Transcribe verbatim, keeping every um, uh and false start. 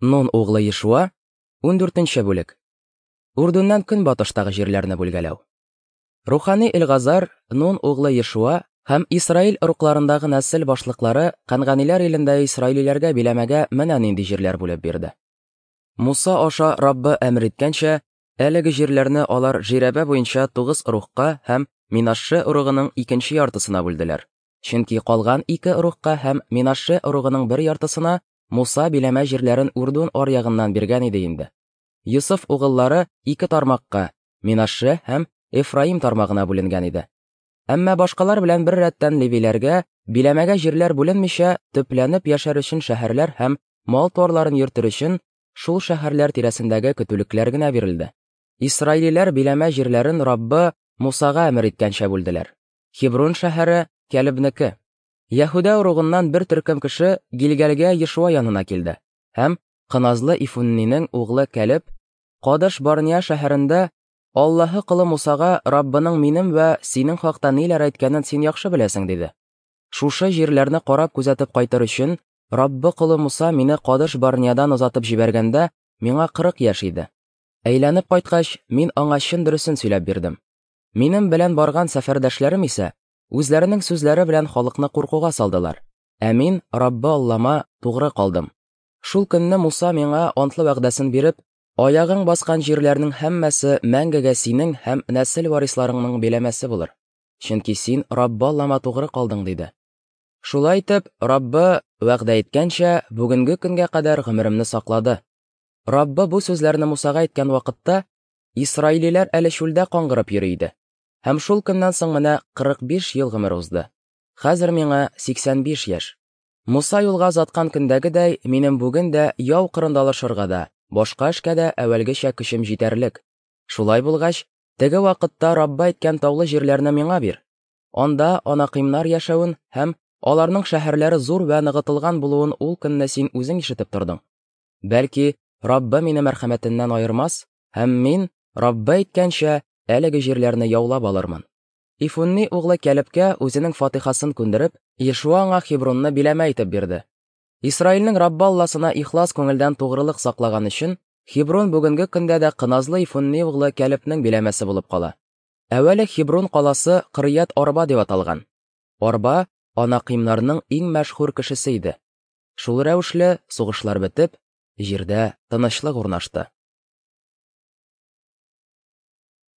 Нун углы Ешуа, ундүртенче бүлек. Үрдүннән көнбатыштагы җирләрне бүлгәләү. Рухани Элгазар, Нун углы Ешуа һәм Исраил ыругларындагы нәсел башлыклары Кәнганиләр илендә исраилиләргә биләмәгә менә нинди җирләр бүлеп бирде. Муса аша Раббы әмер иткәнчә, әлеге җирләрне алар жирәбә буенча тугыз ыругка һәм Минашше ыругының икенче яртысына бүлделәр. Чөнки калган ике ыругка һәм Минашше ыругының бер яртысына Муса биләмә җирләрен Үрдүн аръягыннан биргән иде инде. Йосыф угыллары ике тармакка, Минашше һәм Эфраим тармагына бүленгән иде. Әмма башкалар белән бер рәттән левиләргә биләмәгә җирләр бүленмичә, төпләнеп яшәр өчен шәһәрләр һәм мал-туарларын йөртер өчен шул шәһәрләр тирәсендәге көтүлекләр генә бирелде. Исраилиләр биләмә җирләрен Раббы Мусага әмер иткәнчә бүлделәр. Хеброн шәһәре Кәлебнеке. Яһүдә ыругыннан бер төркем кеше Гилгәлгә Ешуа янына килде һәм Кыназлы Ифуннинең углы Кәлеб Кадыш Барния шәһәрендә Аллаһы колы Мусага Раббының минем вә синең хакта ниләр әйткәнен син яхшы беләсең, диде. Шушы җирләрне карап күзәтеп кайтыр өчен Раббы колы Муса мине Кадыш Барниядан озатып җибәргәндә миңа кырык яшь иде. Әйләнеп кайткач, мин аңа чын дөресен сөйләп бирдем. Минем белән барган сәфәрдәшләрем исә үзләренең сүзләре белән халыкны куркуга салдылар. Ә мин Раббы Аллама тугры калдым. Шул көнне Муса миңа антлы вәгъдәсен биреп, аягың баскан җирләрнең һәммәсе мәңгегә синең һәм нәсел варисларыңның биләмәсе булыр. Чөнки син Раббы Аллама тугры калдың, диде. Шулай итеп, Раббы вәгъдә иткәнчә, бүгенге көнгә кадәр гомеремне саклады. Раббы бу сүзләрне Мусага әйткән вакытта исраилиләр әле чүлдә каңгырып йөри иде. Һәм шул көннән соң менә кырык биш ел гомер узды. Хәзер миңа сиксән биш яшь. Муса юлга озаткан көндәгедәй, минем бүген дә яу кырында алышырга да, башка эшкә дә әүвәлгечә көчем җитәрлек. Шулай булгач, теге вакытта Раббы әйткән таулы җирләрне миңа бир. Анда анакыймнар яшәвен һәм аларның шәһәрләре зур вә ныгытылган булуын ул көнне син үзең ишетеп тордың. Бәлки, Раббы мине мәрхәмәтеннән аермас, һәм мин, Раббы әйткәнчә, әлеге җирләрне яулап алырмын. Ифунни углы Кәлебкә үзенең фатихасын күндереп, Ешуа аңа Хебронны биләмә итеп бирде. Исраилнең Раббы Алласына ихлас күңелдән тугрылык саклаган өчен Хеброн бүгенге көндә дә Кыназлы Ифунни углы Кәлебнең биләмәсе булып кала. Әүвәле Хеброн каласы Кырьят Арба дип аталган. Арба анакыймнарның иң мәшһүр кешесе иде. Шул рәвешле сугышлар бетеп, җирдә тынычлык урнашты.